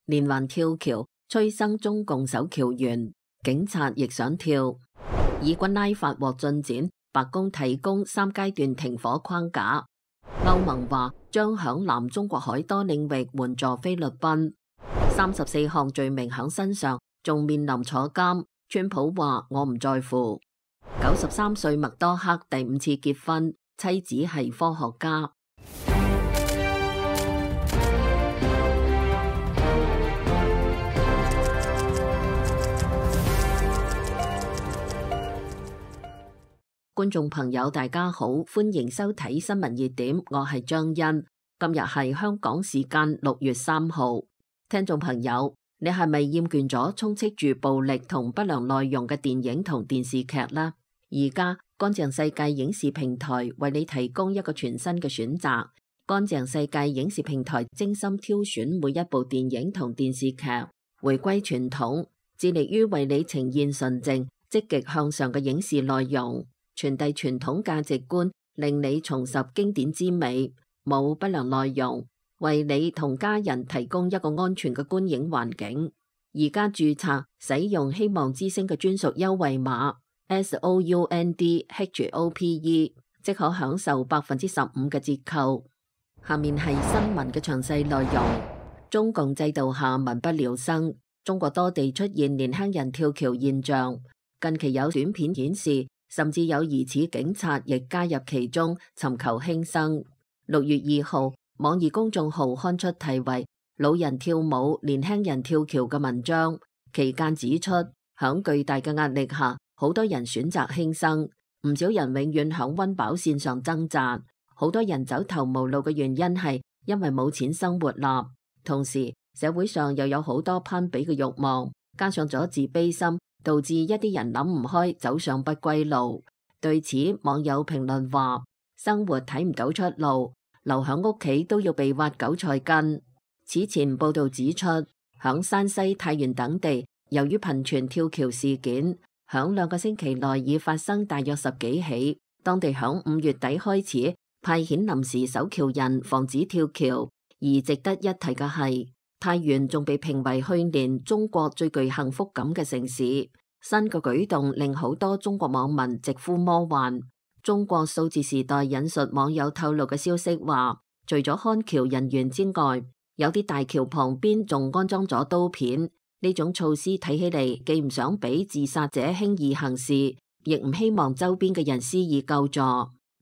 連環跳橋催生中共首橋員，警察亦想跳。以軍拉法獲進展，白宮提供3階段停火框架。歐盟話將響南中國海多領域援助菲律賓。34項罪名響身上，仲面臨坐監。川普話我唔在乎。93歲麥多克第5次結婚，妻子係科學家。觀眾朋友大家好，歡迎收睇新聞熱點，我係張欣。今日係香港時間6月3號。聽眾朋友，你係咪厭倦咗充斥住暴力同不良內容嘅電影同電視劇呢？而家乾淨世界影視平台為你提供一個全新嘅選擇。乾淨世界影視平台精心挑選每一部電影同電視劇，回歸傳統，致力於為你呈現純正、積極向上嘅影視內容，傳遞傳統價值觀，令你重拾經典之美，冇不良內容，為你同家人提供一個安全嘅觀影環境。而家註冊使用希望之聲嘅專屬優惠碼 SOUNDHOPE， 即可享受15%嘅折扣。下面係新聞嘅詳細內容。中共制度下民不聊生，中國多地出現年輕人跳橋現象。近期有短片顯示，甚至有疑似警察亦加入其中，尋求輕生。6月2號，網易公眾號刊出題為「老人跳舞，年輕人跳橋」嘅文章，期間指出，響巨大嘅壓力下，好多人選擇輕生，唔少人永遠響溫飽線上掙扎，好多人走投無路嘅原因係因為冇錢生活啦。同時，社會上又有好多攀比嘅慾望，加上咗自卑心，導致一啲人諗唔開，走上不歸路。對此，網友評論話：生活睇唔到出路，留響屋企都要被挖韭菜根。此前報道指出，響山西、太原等地，由於頻傳跳橋事件，響2個星期內已發生大約10幾起。當地響5月底開始派遣臨時守橋人，防止跳橋。而值得一提嘅係，太原仲被評為去年中國最具幸福感嘅城市。新嘅舉動令好多中國網民直呼魔幻。中國數字時代引述網友透露嘅消息話，除咗看橋人員之外，有啲大橋旁邊仲安裝咗刀片。呢種措施睇起嚟既唔想俾自殺者輕易行事，亦唔希望周邊嘅人施以救助。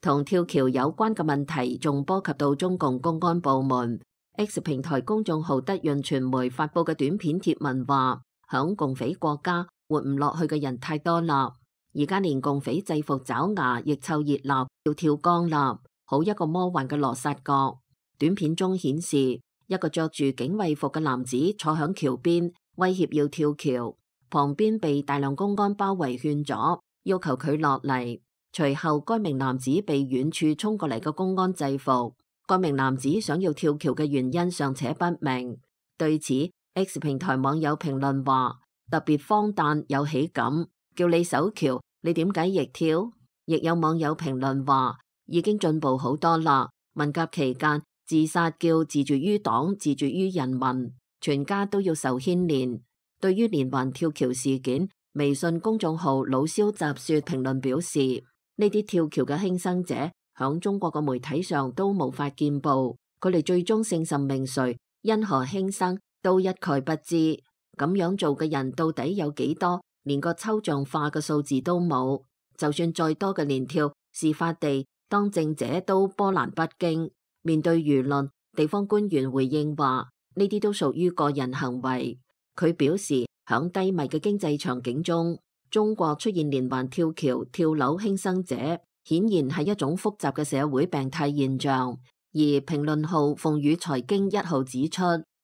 同跳橋有關嘅問題仲波及到中共公安部門。X 平台公眾號德潤傳媒發佈嘅短片貼文話，響共匪國家活唔落去嘅人太多啦，而家連共匪制服爪牙亦湊熱鬧，要跳江啦，好一個魔幻嘅羅剎國。短片中顯示，一個着住警衛服嘅男子坐響橋邊，威脅要跳橋，旁邊被大量公安包圍勸阻，要求佢落嚟。隨後該名男子被遠處衝過嚟嘅公安制服。該名男子想要跳橋嘅原因尚且不明。對此 X 平台網友評論話，特別荒誕有喜感，叫你守橋你點解亦跳？亦有網友評論話，已經進步好多啦，文革期間自殺叫自絕於黨，自絕於人民，全家都要受牽連。對於連環跳橋事件，微信公眾號老蕭雜說評論表示，呢啲跳橋嘅輕生者響中國嘅媒體上都無法見報，佢哋最終姓甚名誰，因何輕生都一概不知。咁樣做嘅人到底有幾多？連個抽象化嘅數字都冇。就算再多嘅連跳，事發地當政者都波瀾不驚。面對輿論，地方官員回應話，呢啲都屬於個人行為。佢表示，響低迷嘅經濟場景中，中國出現連環跳橋、跳樓輕生者，顯然係一種複雜嘅社會病態現象。而評論號鳳羽財經1號指出，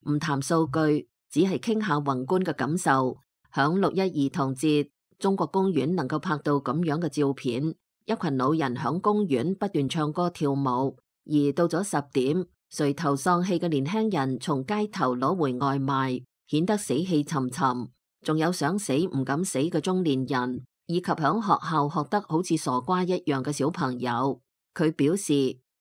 唔談數據，只係傾下宏觀嘅感受。響6·1兒童節，中國公園能夠拍到咁樣嘅照片，一群老人響公園不斷唱歌跳舞。而到咗10點，垂頭喪氣嘅年輕人從街頭攞回外賣，顯得死氣沉沉。仲有想死唔敢死嘅中年人，以及響學校學得好似傻瓜一樣嘅小朋友。佢表示，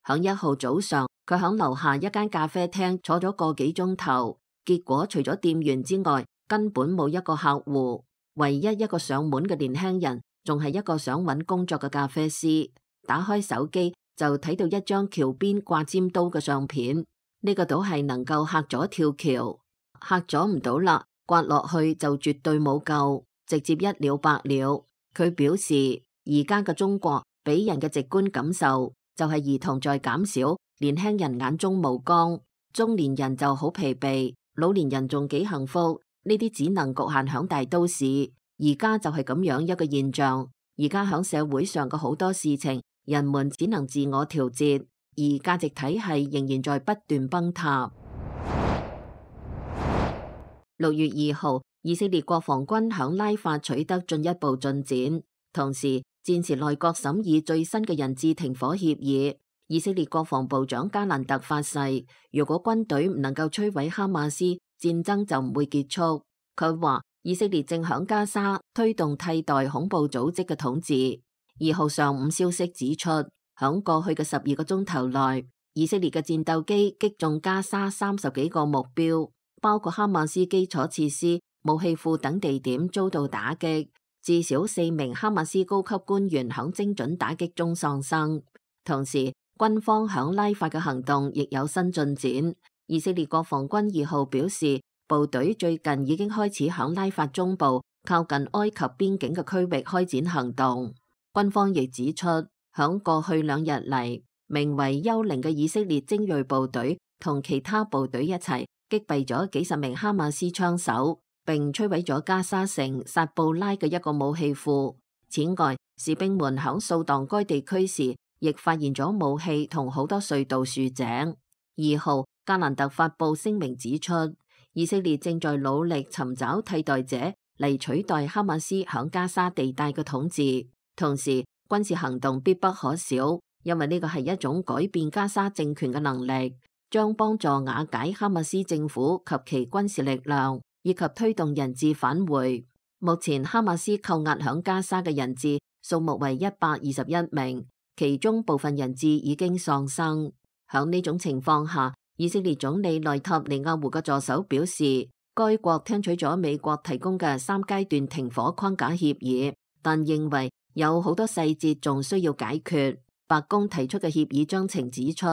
響1號早上，佢響樓下一間咖啡廳坐咗個幾鐘頭，結果除咗店員之外，根本冇一個客戶，唯一一個上門嘅年輕人，仲係一個想揾工作嘅咖啡師。打開手機就睇到一張橋邊掛尖刀嘅相片，呢個島係能夠嚇咗跳橋，嚇咗唔到啦，刮落去就絕對冇救，直接一了百了。佢表示，而家嘅中國俾人嘅直觀感受就係兒童在減少，年輕人眼中無光，中年人就好疲憊，老年人仲幾幸福。呢啲只能局限響大都市，而家就係咁樣一個現象。而家響社會上嘅好多事情，人們只能自我調節，而價值體系仍然在不斷崩塌。6月2號，以色列國防軍響拉法取得進一步進展，同時戰時內閣審議最新嘅人質停火協議。以色列國防部長加蘭特發誓，如果軍隊唔能夠摧毀哈馬斯，戰爭就唔會結束。佢話以色列正響加沙推動替代恐怖組織嘅統治。2號上午消息指出，響過去嘅12個鐘頭內，以色列嘅戰鬥機擊中加沙30幾個目標，包括哈馬斯基礎設施、武器庫等地點遭到打擊，至少4名哈馬斯高級官員響精準打擊中喪生。同時，軍方響拉法嘅行動亦有新進展。以色列國防軍2號表示，部隊最近已經開始響拉法中部靠近埃及邊境嘅區域開展行動。軍方亦指出，響過去2日嚟，名為幽靈嘅以色列精銳部隊同其他部隊一齊擊斃咗幾十名哈馬斯槍手，並摧毀咗加沙城薩布拉嘅一個武器庫。此外，士兵們響掃蕩該地區時，亦發現咗武器同好多隧道豎井。2號，加蘭特發布聲明指出，以色列正在努力尋找替代者嚟取代哈馬斯響加沙地帶嘅統治。同時，軍事行動必不可少，因為呢個係一種改變加沙政權嘅能力，將幫助瓦解哈馬斯政府及其軍事力量，以及推動人質返回。目前哈馬斯扣押響加沙嘅人質數目為121名，其中部分人質已經喪生。響呢種情況下，以色列總理內塔尼亞胡嘅助手表示，該國聽取咗美國提供嘅3階段停火框架協議，但認為有好多細節仲需要解決。白宮提出嘅協議章程指出，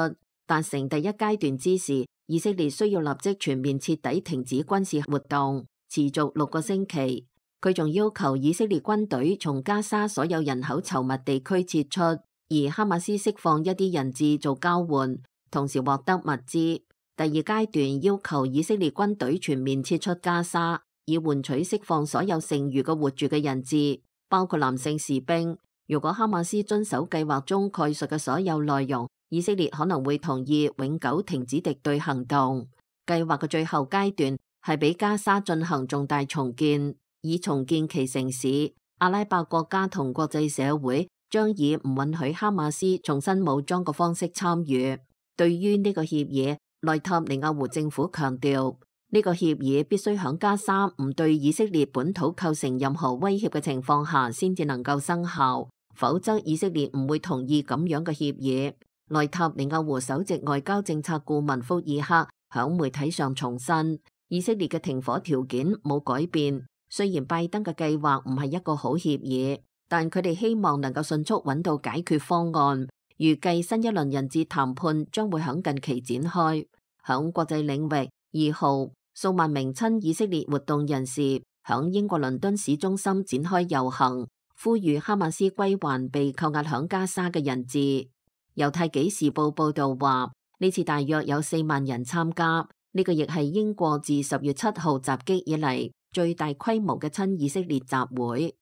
達成第1階段之時，以色列需要立即全面徹底停止軍事活動，持續6個星期。佢仲要求以色列軍隊從加沙所有人口稠密地區撤出，而哈馬斯釋放一啲人質做交換，同時獲得物資。第2階段要求以色列軍隊全面撤出加沙，以換取釋放所有剩餘嘅活住嘅人質，包括男性士兵。如果哈馬斯遵守計劃中概述嘅所有內容，以色列可能會同意永久停止敵對行動。計劃嘅最後階段係俾加沙進行重大重建，以重建其城市。阿拉伯國家同國際社會將以唔允許哈馬斯重新武裝嘅方式參與。對於呢個協議，內塔尼亞胡政府強調，呢個協議必須響加沙唔對以色列本土構成任何威脅嘅情況下先至能夠生效，否則以色列唔會同意咁樣嘅協議。內塔尼亞胡首席外交政策顧問福爾克響媒體上重申，以色列嘅停火條件冇改變。雖然拜登嘅計劃唔係一個好協議，但佢哋希望能夠迅速揾到解決方案。預計新一輪人質談判將會響近期展開。響國際領域，2號，數萬名親以色列活動人士響英國倫敦市中心展開遊行，呼籲哈馬斯歸還被扣押響加沙嘅人質。猶太紀時報報道話，呢次大約有4萬人參加，呢個亦係英國自10月7號襲擊以嚟最大規模嘅親以色列集會。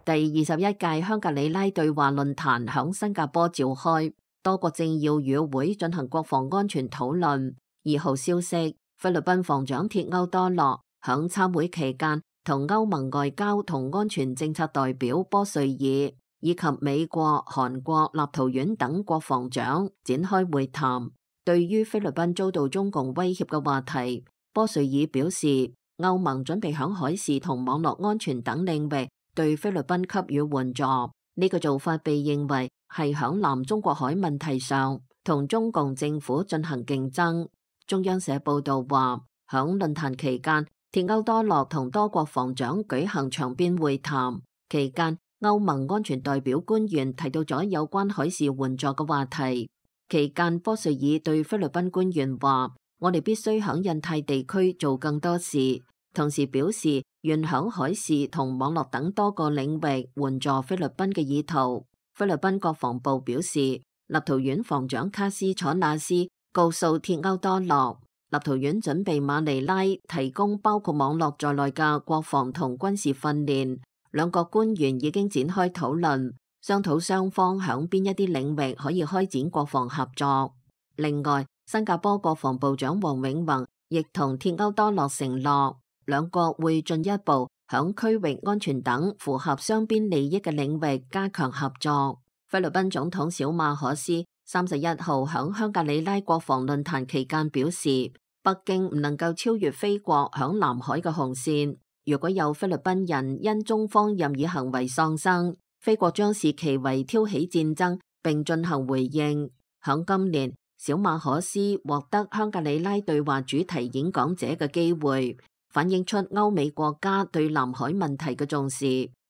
第21屆香格里拉對話論壇響新加坡召開，多國政要與會進行國防安全討論。2號消息，菲律賓防長鐵歐多洛響參會期間同歐盟外交同安全政策代表波瑞爾以及美國、韓國、立陶宛等國防長展開會談。對於菲律賓遭到中共威脅嘅話題，波瑞爾表示，歐盟準備響海事同網絡安全等領域對菲律賓給予援助。呢個做法被認為係響南中國海問題上同中共政府進行競爭。中央社報道話，響論壇期間，鐵歐多洛同多國防長舉行場邊會談，期間歐盟安全代表官員提到咗有關海事援助嘅話題。期間，波瑞爾對菲律賓官員話：我哋必須響印太地區做更多事，同時表示願響海事同網絡等多個領域援助菲律賓嘅意圖。菲律賓國防部表示，立陶宛防長卡斯楚納斯告訴鐵歐多洛，立陶宛準備馬尼拉提供包括網絡在內嘅國防同軍事訓練。兩國官員已經展開討論，商討雙方響邊一啲領域可以開展國防合作。另外，新加坡國防部長黃永宏亦同鐵歐多洛承諾，兩國會進一步響區域安全等符合雙邊利益嘅領域加強合作。菲律賓總統小馬可斯31號響香格里拉國防論壇期間表示，北京唔能夠超越菲國響南海嘅紅線。如果有菲律賓人因中方任意行為喪生，菲國將視其為挑起戰爭並進行回應。響今年，小馬可斯獲得香格里拉對話主題演講者嘅機會，反映出歐美國家對南海問題嘅重視。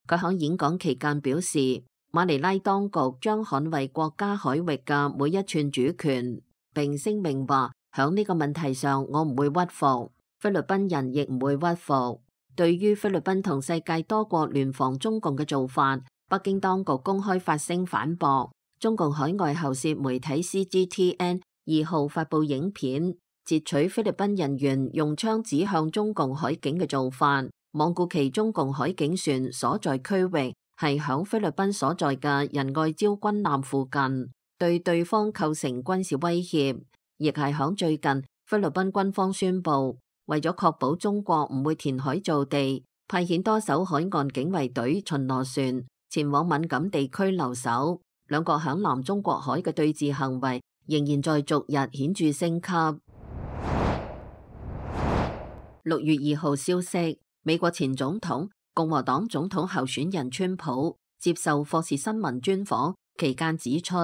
佢響演講期間表示，馬尼拉當局將捍衛國家海域嘅每一寸主權，並聲明話響呢個問題上我唔會屈服，菲律賓人亦唔會屈服。對於菲律賓同世界多國聯防中共嘅做法，北京當局公開發聲反駁。中共海外喉舌媒體 CGTN 2號發布影片，截取菲律賓人員用槍指向中共海警嘅做法，罔顧其中共海警船所在區域係響菲律賓所在嘅仁愛礁軍艦附近，對對方構成軍事威脅。亦係響最近，菲律賓軍方宣布，為咗確保中國唔會填海造地，派遣多艘海岸警衛隊巡邏船前往敏感地區留守。兩國響南中國海嘅對峙行為仍然在逐日顯著升級。6月2號消息，美國前總統、共和黨總統候選人川普接受霍士新聞專訪期間指出，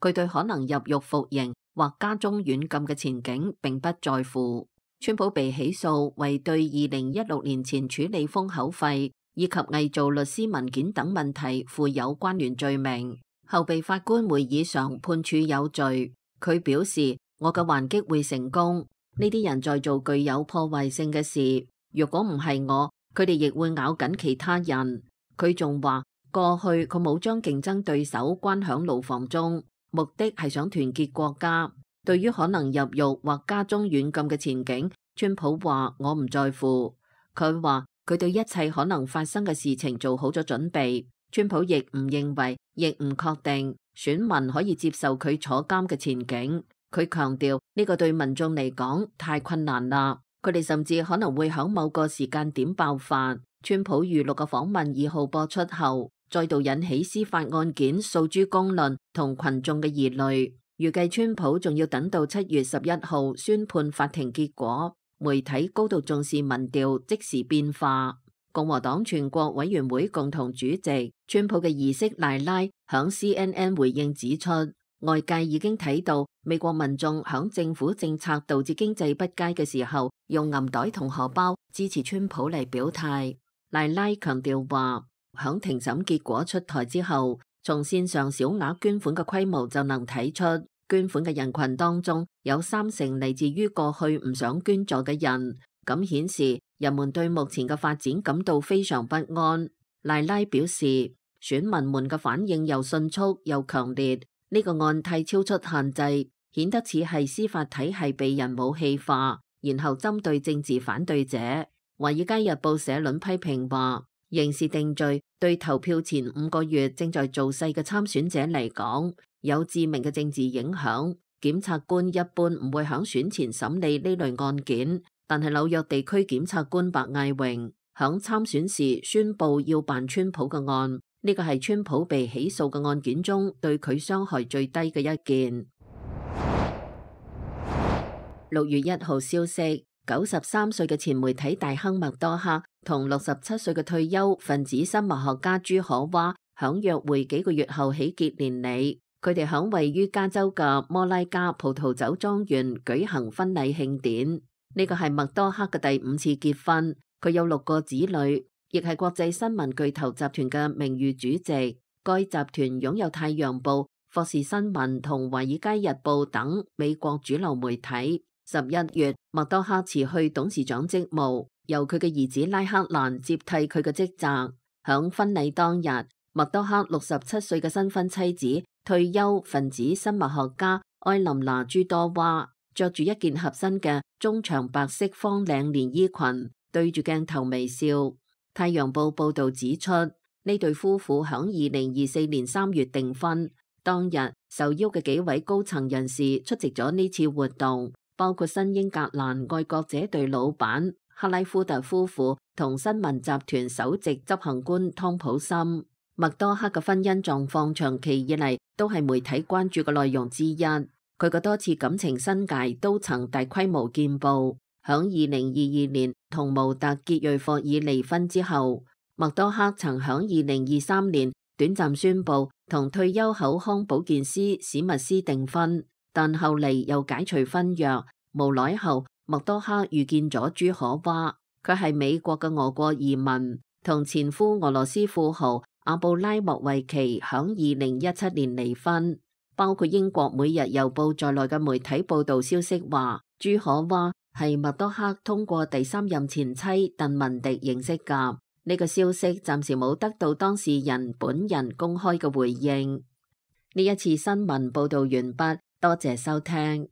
佢對可能入獄服刑或家中軟禁嘅前景並不在乎。川普被起訴為對2016年前處理封口費以及偽造律師文件等問題負有關聯罪名，後被法官會議上判處有罪。佢表示，我嘅還擊會成功。呢啲人在做具有破壞性嘅事，如果唔係我，佢哋亦會咬緊其他人。佢仲話，過去佢冇將競爭對手關響牢房中，目的係想團結國家。對於可能入獄或家中軟禁嘅前景，川普話我唔在乎。佢話佢對一切可能發生嘅事情做好咗準備。川普亦唔認為，亦唔確定選民可以接受佢坐監嘅前景。佢強調呢個對民眾嚟講太困難啦，佢哋甚至可能會響某個時間點爆發。川普預錄嘅訪問2號播出後，再度引起司法案件訴諸公論同群眾嘅疑慮。預計川普仲要等到7月11號宣判法庭結果。媒體高度重視民調即時變化。共和黨全國委員會共同主席川普嘅兒媳賴拉響 CNN 回應指出，外界已經睇到美國民眾響政府政策導致經濟不佳嘅時候，用銀袋同荷包支持川普嚟表態。賴拉強調話，響庭審結果出台之後，從線上小額捐款嘅規模就能睇出，捐款嘅人群當中有30%嚟自於過去唔想捐助嘅人，咁顯示人們對目前嘅發展感到非常不安。賴拉表示，選民們嘅反應又迅速又強烈，呢個案太超出限制，顯得似係司法體系被人武器化，然後針對政治反對者。華爾街日報社論批評話，刑事定罪對投票前5個月正在造勢嘅參選者嚟講，有致命嘅政治影響。檢察官一般唔會響選前審理呢類案件，但係紐約地區檢察官白艾榮響參選時宣布要辦川普嘅案，呢個係川普被起訴嘅案件中對佢傷害最低嘅一件。6月1號消息，93歲嘅前媒體大亨麥多克同67歲嘅退休分子生物學家朱可娃響約會幾個月後喜結連理。佢哋響位於加州嘅摩拉加葡萄酒莊園舉行婚禮慶典。呢個係麥多克嘅第5次結婚，佢有6個子女，亦係國際新聞巨頭集團嘅名譽主席。該集團擁有《太陽報》、《霍士新聞》同《華爾街日報》等美國主流媒體。11月，麥多克辭去董事長職務，由佢嘅兒子拉克蘭接替佢嘅職責。響婚禮當日，麥多克67歲嘅新婚妻子、退休分子生物學家埃琳娜朱多娃，着住一件合身嘅中長白色方領連衣裙，對住鏡頭微笑。太陽報報道指出，呢對夫婦響2024年3月訂婚。當日受邀嘅幾位高層人士出席咗呢次活動，包括新英格蘭愛國者隊老闆克拉夫特夫婦同新聞集團首席執行官湯普森。麥多克嘅婚姻狀況長期以嚟都係媒體關注嘅內容之一。佢嘅多次感情新界都曾大規模見報。響2022年同模特傑瑞霍爾離婚之後，麥多克曾響2023年短暫宣布同退休口腔保健師史密斯訂婚，但後嚟又解除婚約。無耐後，麥多克遇見咗朱可娃，佢係美國嘅俄國移民，同前夫俄羅斯富豪阿布拉莫維奇響2017年離婚。包括英國每日郵報在內嘅媒體報道消息話，朱可娃係麥多克通過第3任前妻鄧文迪認識㗎。呢個消息暫時冇得到當事人本人公開嘅回應。呢一次新聞報道完畢，多謝收聽。